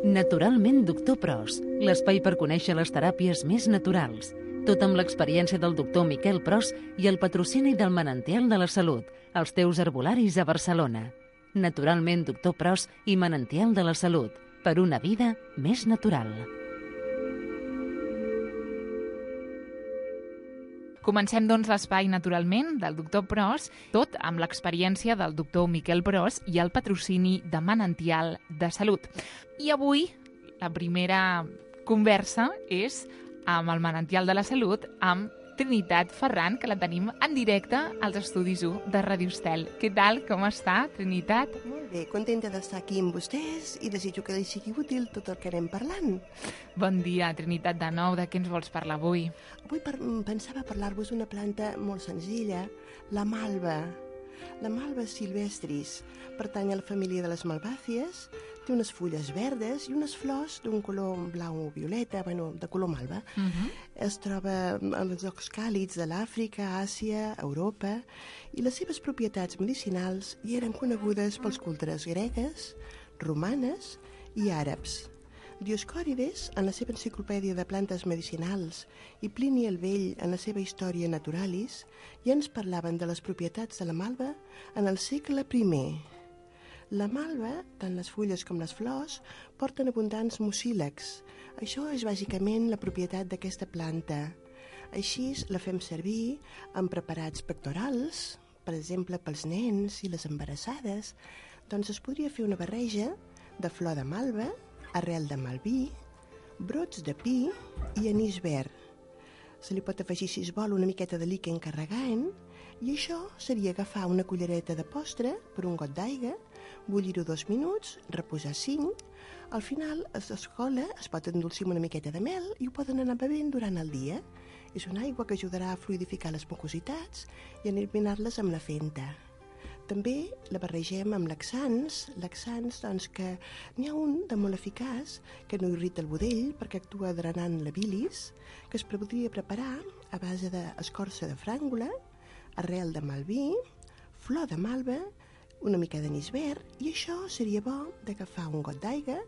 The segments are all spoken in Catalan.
Naturalment Doctor Pros, l'espai per conèixer les teràpies més naturals. Tot amb l'experiència del doctor Miquel Pros i el patrocini del Manantial de la Salut, els teus herbolaris a Barcelona. Naturalment Doctor Pros i Manantial de la Salut, per una vida més natural. Comencem, doncs, l'espai Naturalment del doctor Pros, tot amb l'experiència del doctor Miquel Pros i el patrocini de Manantial de Salut. I avui la primera conversa és amb el Manantial de la Salut, amb Trinitat Ferran, que la tenim en directe als estudis 1 de Radio Estel. Què tal? Com està, Trinitat? Molt bé, contenta d'estar aquí amb vostès i desitjo que li sigui útil tot el que anem parlant. Bon dia, Trinitat, de nou. De què ens vols parlar avui? Avui pensava parlar-vos d'una planta molt senzilla, la malva. La malva silvestris pertany a la família de les malvàcies, té unes fulles verdes i unes flors d'un color blau-violeta, de color malva. Es troba als llocs càlids de l'Àfrica, Àsia, Europa, i les seves propietats medicinals hi eren conegudes pels cultures gregues, romanes i àrabs. Dioscòrides, en la seva enciclopèdia de plantes medicinals, i Plini el Vell, en la seva Història Naturalis, ja ens parlaven de les propietats de la malva en el segle I. La malva, tant les fulles com les flors, porten abundants mucílags. Això és bàsicament la propietat d'aquesta planta. Així la fem servir en preparats pectorals, per exemple pels nens i les embarassades. Doncs es podria fer una barreja de flor de malva, arrel de malví, brots de pi i anís verd. Se li pot afegir, si es vol, una miqueta de líquen carregant, i això seria agafar una cullereta de postre per un got d'aigua, bullir-ho 2 minuts, reposar 5. Al final es cola, es pot endolcir amb una miqueta de mel i ho poden anar bevent durant el dia. És una aigua que ajudarà a fluidificar les mucositats i a eliminar-les amb la fenta. També la barregem amb laxants, doncs, que n'hi ha un de molt eficaç que no irrita el budell perquè actua drenant la bilis, que es podria preparar a base d'escorça de fràngula, arrel de malví, flor de malva, una mica d'anís verd, i això seria bo d'agafar un got d'aigua,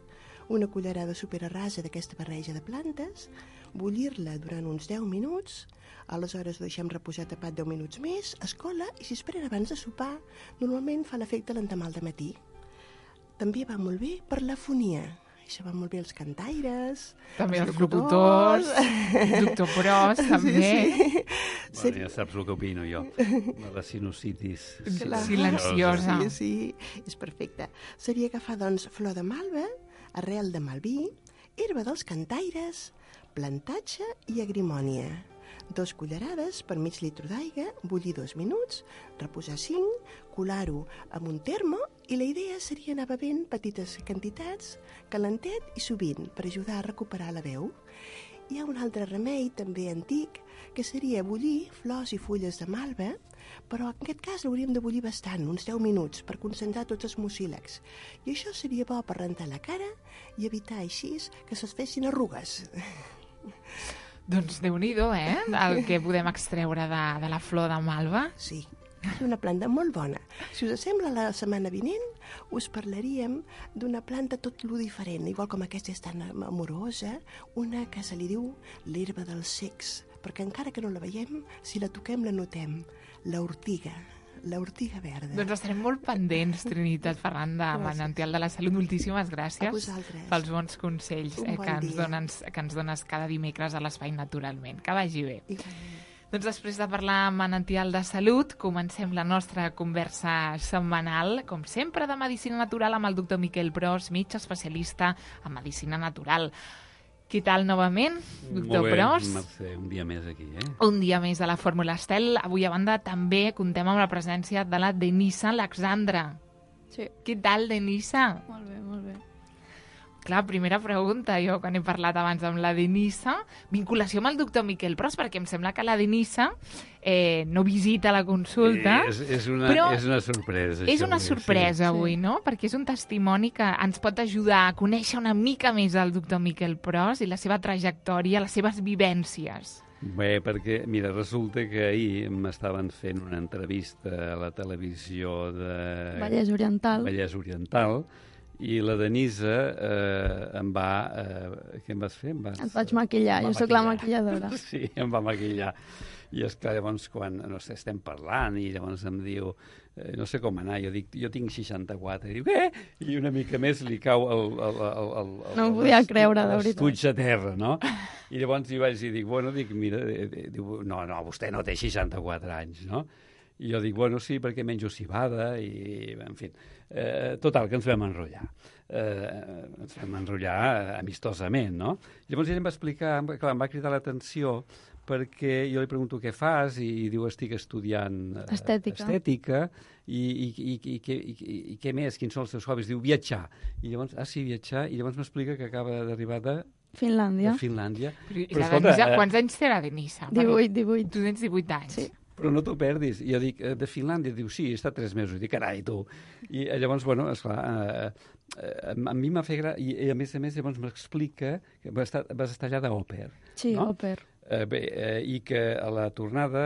una cullerada superarrasa d'aquesta barreja de plantes, bullir-la durant uns 10 minuts, aleshores ho deixem reposar tapat 10 minuts més, es cola i si es pren abans de sopar, normalment fa l'efecte l'endemà al matí. També va molt bé per l'afonia. Això va molt bé els cantaires, també els locutors, doctor Pros, també. Sí. Ja saps el que opino jo, la sinusitis silenciosa. Sí, és perfecte. Seria agafar, doncs, flor de malva, arrel de malví, herba dels cantaires, plantatge i agrimònia. 2 cullerades per mig litre d'aigua, bullir 2 minuts, reposar 5, colar-ho amb un termo i la idea seria anar bevent petites quantitats, calentet i sovint, per ajudar a recuperar la veu. Hi ha un altre remei, també antic, que seria bullir flors i fulles de malva, però en aquest cas l'hauríem de bullir bastant, uns 10 minuts, per concentrar tots els mucílags. I això seria bo per rentar la cara i evitar així que se'ls fessin arrugues. Doncs Déu-n'hi-do, el que podem extreure de la flor de malva. Sí, és una planta molt bona. Si us sembla, la setmana vinent us parlaríem d'una planta tot lo diferent, igual com aquesta és tan amorosa, una que se li diu l'herba dels cecs, perquè encara que no la veiem, si la toquem la notem, l'ortiga verda. Doncs estarem molt pendents, Trinitat Ferran, de Manantial de la Salut. Moltíssimes gràcies pels bons consells que ens dones cada dimecres a l'Espai Naturalment. Que vagi bé. Doncs després de parlar amb Manantial de Salut, comencem la nostra conversa setmanal, com sempre, de Medicina Natural amb el doctor Miquel Pros, metge especialista en Medicina Natural. Què tal novament, doctor Pros? Molt bé, Mercè, un dia més aquí, Un dia més a la Fórmula Estel. Avui, a banda, també contem amb la presència de la Denisa Alexandra. Sí. Què tal, Denisa? Molt bé, molt bé. Clar, primera pregunta, jo quan he parlat abans amb la Denisa, vinculació amb el doctor Miquel Pros, perquè em sembla que la Denisa no visita la consulta. És una sorpresa. És una sorpresa avui, no? Perquè és un testimoni que ens pot ajudar a conèixer una mica més el doctor Miquel Pros i la seva trajectòria, les seves vivències. Bé, perquè, mira, resulta que ahir m'estaven fent una entrevista a la televisió de Vallès Oriental. I la Denisa em va... què em vas fer? Et vaig maquillar, jo sóc la maquilladora. Sí, em va maquillar. I esclar, llavors, quan estem parlant i llavors em diu, no sé com anar, jo dic, jo tinc 64. I diu, què? I una mica més li cau no ho podia creure, de veritat. L'estuig a terra, no? I llavors jo vaig dir, dic, mira, diu, no, vostè no té 64 anys, no? I jo dic, bueno, sí, perquè menjo cibada i, en fi, total, que ens vam enrotllar. Ens vam enrotllar amistosament, no? Llavors ell em va explicar, clar, em va cridar l'atenció perquè jo li pregunto què fas i diu estic estudiant estètica i què més, quins són els teus hobbies? Diu viatjar. I llavors, sí, viatjar, i llavors m'explica que acaba d'arribar de Finlàndia. Però escolta, quants anys té la Denisa? 18. Tu tens 18 anys. Sí. Però no t'ho perdis. I jo dic, de Finlàndia? Diu, sí, he estat 3 mesos. I dic, carai, tu. I llavors, bueno, esclar, a mi m'ha fet i a més, llavors m'explica que vas estar allà d'òper. Sí, no? òper. I que a la tornada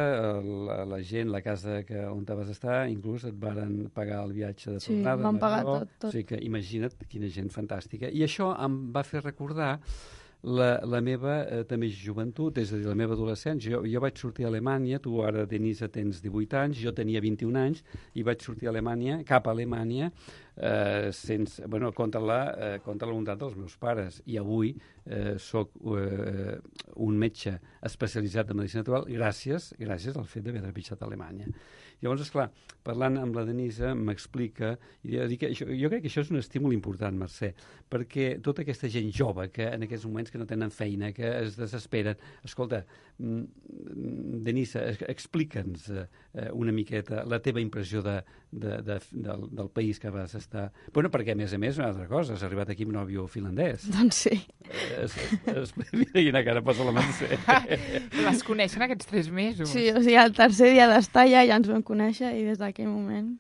la gent, la casa on vas estar, inclús et varen pagar el viatge de tornada. Sí, m'han pagat tot. O sigui que imagina't quina gent fantàstica. I això em va fer recordar la meva també joventut, és a dir, la meva adolescència. Jo vaig sortir a Alemanya, tu ara, Denisa, tens 18 anys, jo tenia 21 anys, i vaig sortir a Alemanya, cap a Alemanya, contra la voluntat dels meus pares. I avui soc un metge especialitzat en medicina natural gràcies al fet d'haver trepitjat a Alemanya. Llavors, esclar, parlant amb la Denisa, m'explica, i jo crec que això és un estímul important, Mercè, perquè tota aquesta gent jove que en aquests moments que no tenen feina, que es desesperen, escolta, Denisa, explica'ns una miqueta la teva impressió del país que vas estar... Bueno, perquè, a més, una altra cosa, has arribat aquí amb nòvio finlandès. Doncs sí. Mira quina cara posa la Mercè. Les coneixen aquests 3 mesos. Sí, o sigui, el tercer dia d'estar allà ja ens vam conèixer i des d'aquell moment...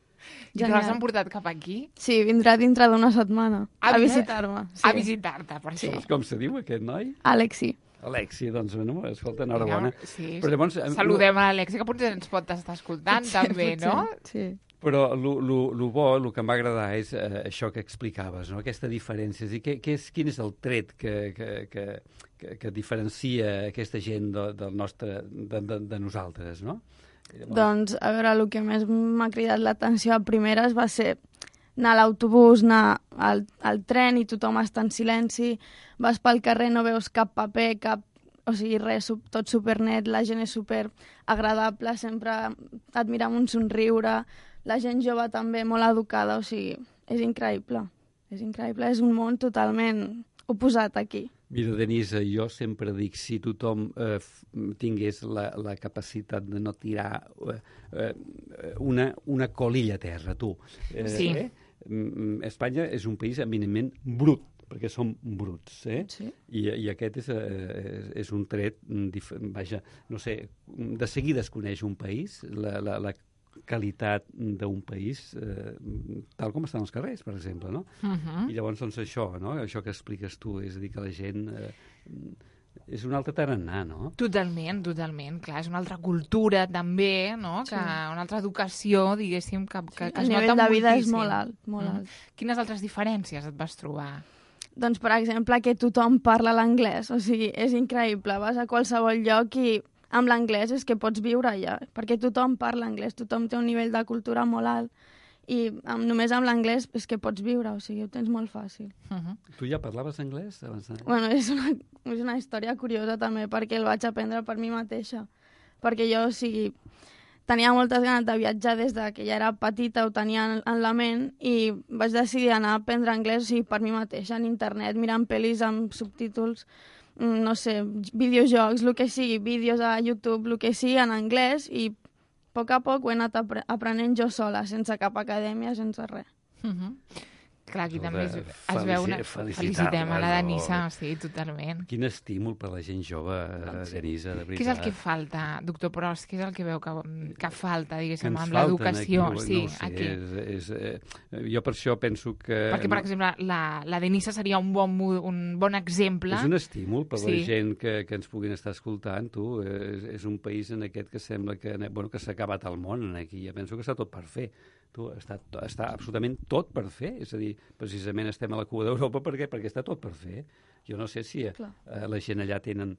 I te l'has emportat cap aquí? Sí, vindrà dintre d'una setmana a visitar-me. Sí. A visitar-te, per això. Sí. Com se diu aquest noi? Alexi, doncs, bueno, escolta, enhorabona. Sí, però llavors, saludem a l'Alexi, que potser ens pot estar escoltant, també, no? Sí. Però el bo, el que em va agradar és això que explicaves, no? Aquesta diferència. Quin és el tret que diferencia aquesta gent de nosaltres, no? Doncs, a veure, el que més m'ha cridat l'atenció a primeres va ser anar a l'autobús, anar al tren i tothom està en silenci, vas pel carrer, no veus cap paper, o sigui, res, tot supernet, la gent és super agradable, sempre et mira amb un somriure, la gent jove també molt educada, o sigui, és increïble, és un món totalment oposat aquí. Mira, Denisa, jo sempre dic, si tothom tingués la capacitat de no tirar una colilla a terra, tu. Sí. Espanya és un país eminentment brut, perquè som bruts, Sí. I aquest és un tret, vaja, no sé, de seguida es coneix un país, la qualitat d'un país tal com estan els carrers, per exemple, no? I llavors, doncs, això, no? Això que expliques tu, és a dir, que la gent és un altre tarannà, no? Totalment, clar, és una altra cultura també, no? Sí. Una altra educació, diguéssim, que es nota moltíssim. El nivell de vida és molt alt, molt alt. Quines altres diferències et vas trobar? Doncs, per exemple, que tothom parla l'anglès, o sigui, és increïble, vas a qualsevol lloc i amb l'anglès és que pots viure allà, perquè tothom parla anglès, tothom té un nivell de cultura molt alt i només amb l'anglès és que pots viure, o sigui, ho tens molt fàcil. Tu ja parlaves anglès abans? Bueno, és una història curiosa també, perquè el vaig aprendre per mi mateixa, perquè jo, o sigui, tenia moltes ganes de viatjar des que ja era petita, ho tenia en la ment, i vaig decidir anar a aprendre anglès, o sigui, per mi mateixa, en internet, mirant pel·lis amb subtítols, no sé, videojocs, el que sigui, vídeos a YouTube, el que sigui en anglès, i a poc ho he anat aprenent jo sola, sense cap acadèmia, sense res. Clar, aquí també es veu una... Felicitem a la Denisa, sí, totalment. Quin estímul per la gent jove, Denisa, de veritat. Què és el que falta, doctor Pros? Què és el que veu que falta, diguéssim, amb l'educació? Sí, aquí. Jo per això penso que... Perquè, per exemple, la Denisa seria un bon exemple. És un estímul per la gent que ens puguin estar escoltant, tu. És un país en aquest que sembla que s'ha acabat el món aquí. Jo penso que està tot per fer. està absolutament tot per fer. És a dir, precisament estem a la cua d'Europa perquè està tot per fer. Jo no sé si la gent allà tenen...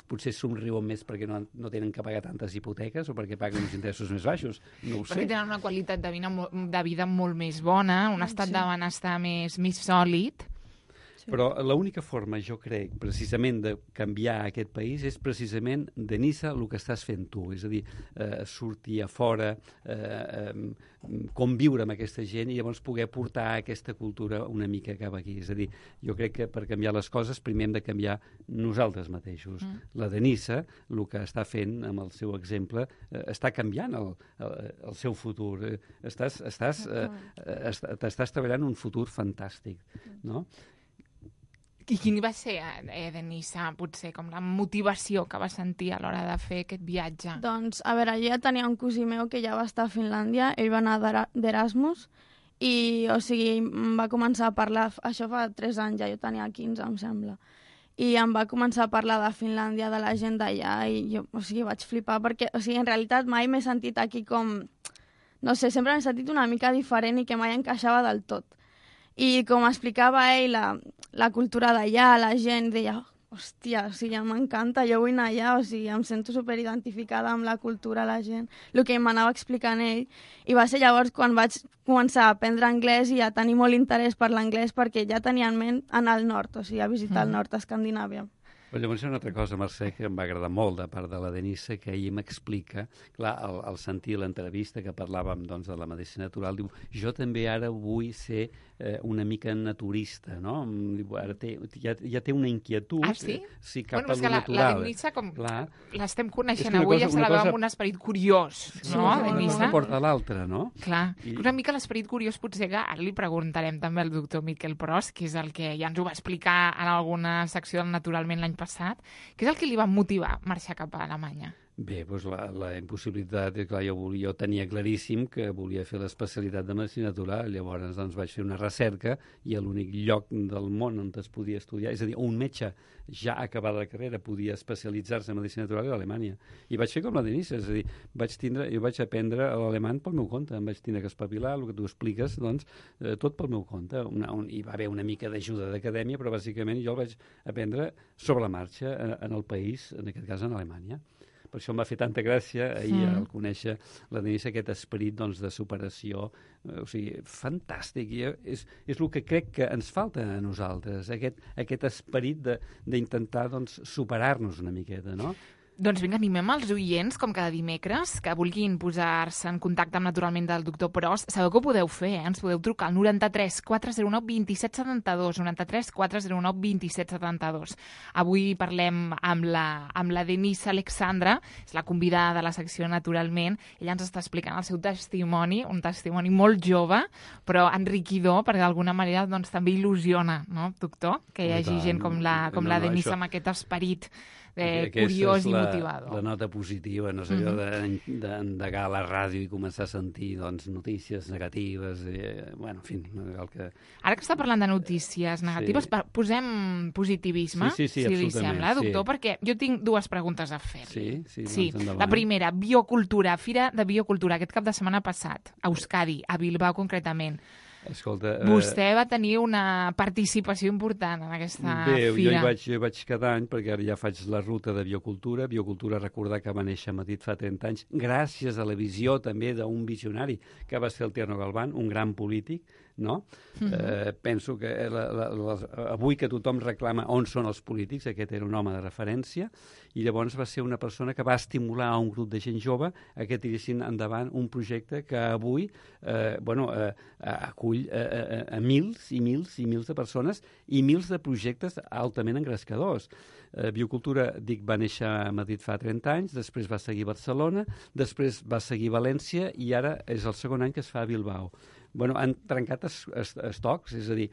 potser somriuen més perquè no tenen que pagar tantes hipoteques o perquè paguen uns interessos més baixos. No ho sé. Perquè tenen una qualitat de vida molt més bona, un estat de benestar més sòlid. Però l'única forma, jo crec, precisament de canviar aquest país és precisament, Denisa, el que estàs fent tu. És a dir, sortir a fora, conviure amb aquesta gent i llavors poder portar aquesta cultura una mica cap aquí. És a dir, jo crec que per canviar les coses primer hem de canviar nosaltres mateixos. La Denisa, el que està fent amb el seu exemple, està canviant el seu futur. T'estàs treballant un futur fantàstic, no? I quin va ser, Denisa, potser, com la motivació que va sentir a l'hora de fer aquest viatge? Doncs, a veure, jo ja tenia un cosí meu que ja va estar a Finlàndia, ell va anar d'Erasmus, i, o sigui, em va començar a parlar, això fa 3 anys ja, jo tenia 15, em sembla, i em va començar a parlar de Finlàndia, de la gent d'allà, i jo, o sigui, vaig flipar, perquè, o sigui, en realitat mai m'he sentit aquí com, no sé, sempre m'he sentit una mica diferent i que mai encaixava del tot. I com explicava ell, la cultura d'allà, la gent deia, hòstia, o sigui, m'encanta, jo vull anar allà, o sigui, em sento superidentificada amb la cultura, la gent, el que m'anava explicant ell. I va ser llavors quan vaig començar a aprendre anglès i a tenir molt interès per l'anglès perquè ja tenia en ment anar al nord, o sigui, a visitar el nord d'Escandinàvia. Però llavors hi ha una altra cosa, Mercè, que em va agradar molt de part de la Denisa, que ell m'explica, clar, al sentir l'entrevista que parlàvem doncs, de la medicina natural, diu, jo també ara vull ser una mica naturista, no? Ara ja té una inquietud. Ah, sí? Sí, cap bueno, a lo natural. La Denisa, com l'estem coneixent avui, ja se la veu amb un esperit curiós, no, Denisa? Una porta a l'altra, no? Clar, una mica l'esperit curiós potser que ara li preguntarem també al doctor Miquel Pros, que és el que ja ens ho va explicar en alguna secció del Naturalment l'any passat, que és el que li va motivar a marxar cap a Alemanya. Bé, doncs la impossibilitat, clar, jo tenia claríssim que volia fer l'especialitat de medicina natural, llavors doncs, vaig fer una recerca i a l'únic lloc del món on es podia estudiar, és a dir, un metge ja acabada la carrera podia especialitzar-se en medicina natural a Alemanya. I vaig fer com la Denisa, és a dir, jo vaig aprendre l'alemany pel meu compte, em vaig tenir que espavilar, el que tu expliques, doncs, tot pel meu compte. Hi va haver una mica d'ajuda d'acadèmia, però bàsicament jo el vaig aprendre sobre la marxa en el país, en aquest cas en Alemanya. Per això em va fer tanta gràcia ahir al conèixer la Denisa, aquest esperit doncs, de superació, o sigui, fantàstic. I és el que crec que ens falta a nosaltres, aquest esperit d'intentar doncs, superar-nos una miqueta, no? Doncs vinga, animem els oients, com cada dimecres, que vulguin posar-se en contacte amb Naturalment del doctor Pros. Sabeu que ho podeu fer, ens podeu trucar al 93 409 27 72, 93 409 27 72. Avui parlem amb la Denisa Alexandra, és la convidada de la secció Naturalment. Ella ens està explicant el seu testimoni, un testimoni molt jove, però enriquidor, perquè d'alguna manera doncs, també il·lusiona, no, doctor? Que hi hagi gent com la Denisa amb aquest esperit curiós i motivador. La nota positiva, no sé, allò d'endegar la ràdio i començar a sentir doncs, notícies negatives, bueno, en fi, el que... Ara que està parlant de notícies negatives, posem positivisme, si li sembla, doctor, perquè jo tinc 2 preguntes a fer. Sí, doncs endavant. La primera, biocultura, Fira de Biocultura, aquest cap de setmana passat, a Euskadi, a Bilbao concretament. Escolta, vostè va tenir una participació important en aquesta fira. Jo hi vaig cada any, perquè ara ja faig la ruta de biocultura. Biocultura, recordar que va néixer a Madrid fa 30 anys, gràcies a la visió també d'un visionari que va ser el Tierno Galván, un gran polític, no? Penso que avui que tothom reclama on són els polítics, aquest era un home de referència, i llavors va ser una persona que va estimular a un grup de gent jove a que tiressin endavant un projecte que avui acull a mils i mils i mils de persones i mils de projectes altament engrescadors. Biocultura, dic, va néixer a Madrid fa 30 anys, després va seguir a Barcelona, després va seguir a València i ara és el segon any que es fa a Bilbao. han trencat estocs, és a dir,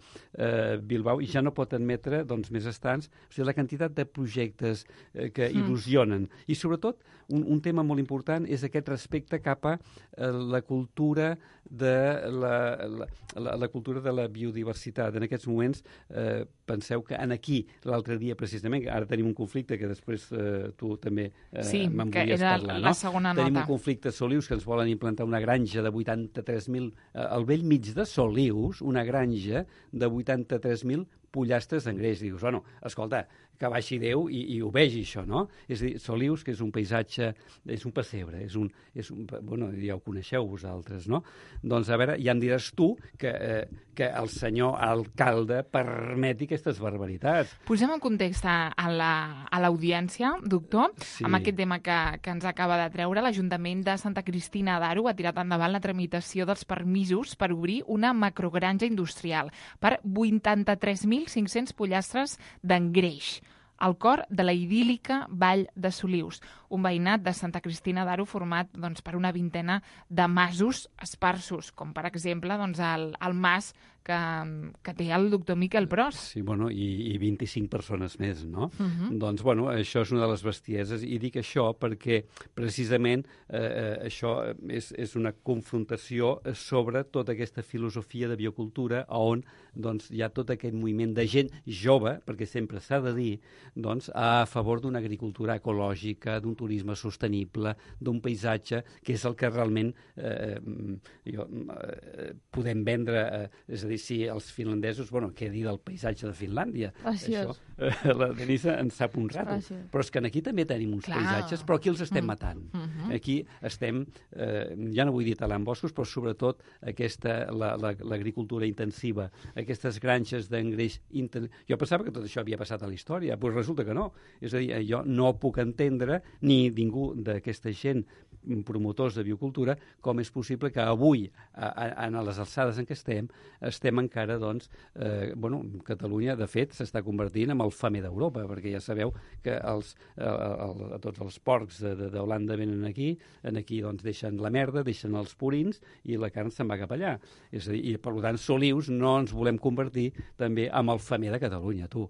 Bilbao ja no pot admetre més estants, o sigui, la quantitat de projectes que il·lusionen. I sobretot, un tema molt important és aquest respecte cap a la cultura de la cultura de la biodiversitat. En aquests moments, penseu que aquí, l'altre dia precisament, ara tenim un conflicte que després tu també me'n volies parlar, no? La segona nota. Tenim un conflicte a Solius que ens volen implantar una granja de 83.000, al vell mig de Solius, una granja de 83.000 pollastres d'engreix. Dius, bueno, escolta, que baixi Déu i ho vegi, això, no? És a dir, Solius, que és un paisatge, és un pessebre, bueno, ja ho coneixeu vosaltres, no? Doncs, a veure, ja em diràs tu que el senyor alcalde permeti aquestes barbaritats. Posem en context a l'audiència, doctor, amb aquest tema que ens acaba de treure. L'Ajuntament de Santa Cristina d'Aro ha tirat endavant la tramitació dels permisos per obrir una macrogranja industrial per 83.500 pollastres d'engreix, al cor de la idíl·lica Vall de Solius, un veïnat de Santa Cristina d'Aro format per una vintena de masos esparsos, com per exemple el mas que té el doctor Miquel Pros. Sí, bueno, i 25 persones més, no? Doncs, bueno, això és una de les bestieses, i dic això perquè precisament això és una confrontació sobre tota aquesta filosofia de biocultura on hi ha tot aquest moviment de gent jove, perquè sempre s'ha de dir, a favor d'una agricultura ecològica, d'un turisme sostenible, d'un paisatge, que és el que realment podem vendre, és a dir, si els finlandesos, què dir del paisatge de Finlàndia? Graciós. Això, la Denisa en sap un rato. Però és que aquí també tenim uns paisatges, però aquí els estem matant. Aquí estem, ja no vull dir talant boscos, però sobretot l'agricultura intensiva, aquestes granges d'engreix intensiu. Jo pensava que tot això havia passat a la història, però resulta que no. És a dir, jo no puc entendre, ni ningú d'aquesta gent promotors de biocultura, com és possible que avui, a les alçades en què estem encara, Catalunya, de fet, s'està convertint en el femer d'Europa, perquè ja sabeu que tots els porcs d'Holanda venen aquí deixen la merda, deixen els purins, i la carn se'n va cap allà. És a dir, i per tant, Solius no ens volem convertir també en el femer de Catalunya, tu.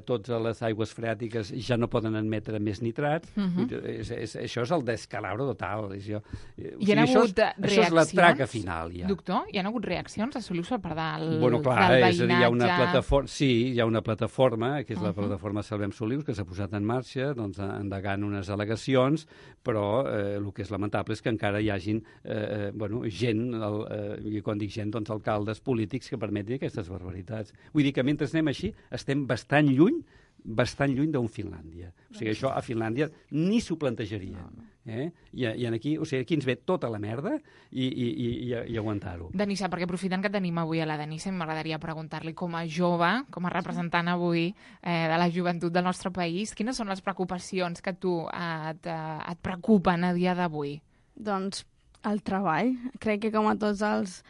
Totes les aigües freàtiques ja no poden admetre més nitrats. Això és el descalabro total. Hi ha hagut reaccions? Això és la traca final, ja. Doctor, hi ha hagut reaccions a Solius per part del veïnatge? És a dir, hi ha una plataforma, que és la plataforma Salvem Solius, que s'ha posat en marxa, endegant unes al·legacions, però el que és lamentable és que encara hi hagin gent, i quan dic gent, alcaldes polítics que permetin aquestes barbaritats. Vull dir que mentre anem així, estem bastant lluny d'un Finlàndia. O sigui, això a Finlàndia ni s'ho plantejaria. I aquí ens ve tota la merda i aguantar-ho. Denisa, perquè aprofitant que tenim avui a la Denisa, m'agradaria preguntar-li com a jove, com a representant avui de la joventut del nostre país, quines són les preocupacions que tu et preocupen a dia d'avui? Doncs el treball. Crec que com a tots els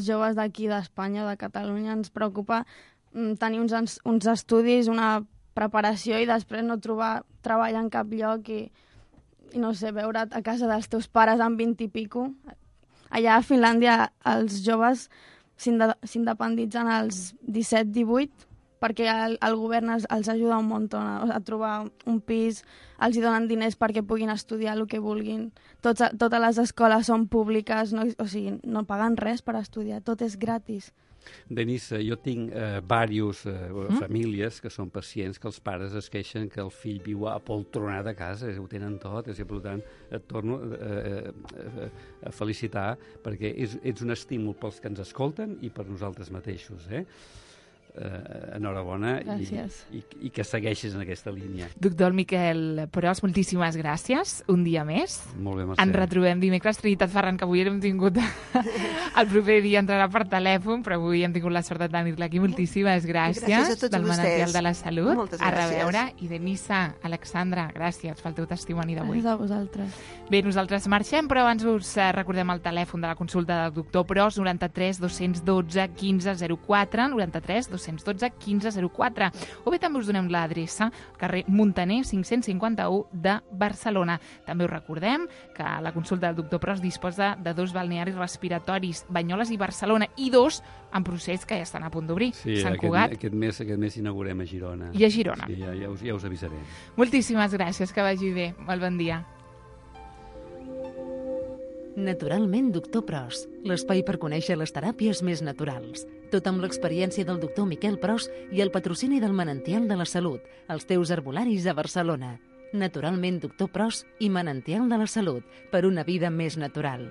joves d'aquí, d'Espanya, de Catalunya, ens preocupa tenir uns estudis, una preparació i després no trobar treball en cap lloc i no sé, veure a casa dels teus pares amb 20 i pico. Allà a Finlàndia els joves s'independitzen als 17-18 perquè el govern els ajuda un munt a trobar un pis, els donen diners perquè puguin estudiar el que vulguin. Totes les escoles són públiques, no paguen res per estudiar, tot és gratis. Denisa, jo tinc diverses famílies que són pacients, que els pares es queixen que el fill viu apoltronat a casa, ho tenen tot, i per tant et torno a felicitar perquè ets un estímul pels que ens escolten i per nosaltres mateixos. Enhorabona i que segueixis en aquesta línia. Doctor Miquel Pros, moltíssimes gràcies, un dia més. Molt bé, Mercè. Ens retrobem dimecres. Trinitat Ferran, que avui hem tingut el proper dia entrarà per telèfon, però avui hem tingut la sort de tenir-la aquí. Moltíssimes gràcies. Gràcies a tots del Manantial de la Salut. Moltes gràcies. A reveure. I Denisa, Alexandra, gràcies pel teu testimoni d'avui. Gràcies a vosaltres. Bé, nosaltres marxem, però abans us recordem el telèfon de la consulta del doctor Pros, 93 212 15 04, 93 212 912 1504. O bé també us donem l'adreça al carrer Muntaner 551 de Barcelona. També us recordem que la consulta del doctor Pros disposa de 2 balnearis respiratoris, Banyoles i Barcelona, i 2 en procés que ja estan a punt d'obrir. Sí, Sant Cugat. Aquest mes inaugurem a Girona. I a Girona. Sí, ja us avisarem. Moltíssimes gràcies, que vagi bé. Molt bon dia. Naturalment, doctor Pros, l'espai per conèixer les teràpies més naturals. Tot amb l'experiència del doctor Miquel Pros i el patrocini del Manantial de la Salut, els teus herbolaris a Barcelona. Naturalment, doctor Pros i Manantial de la Salut, per una vida més natural.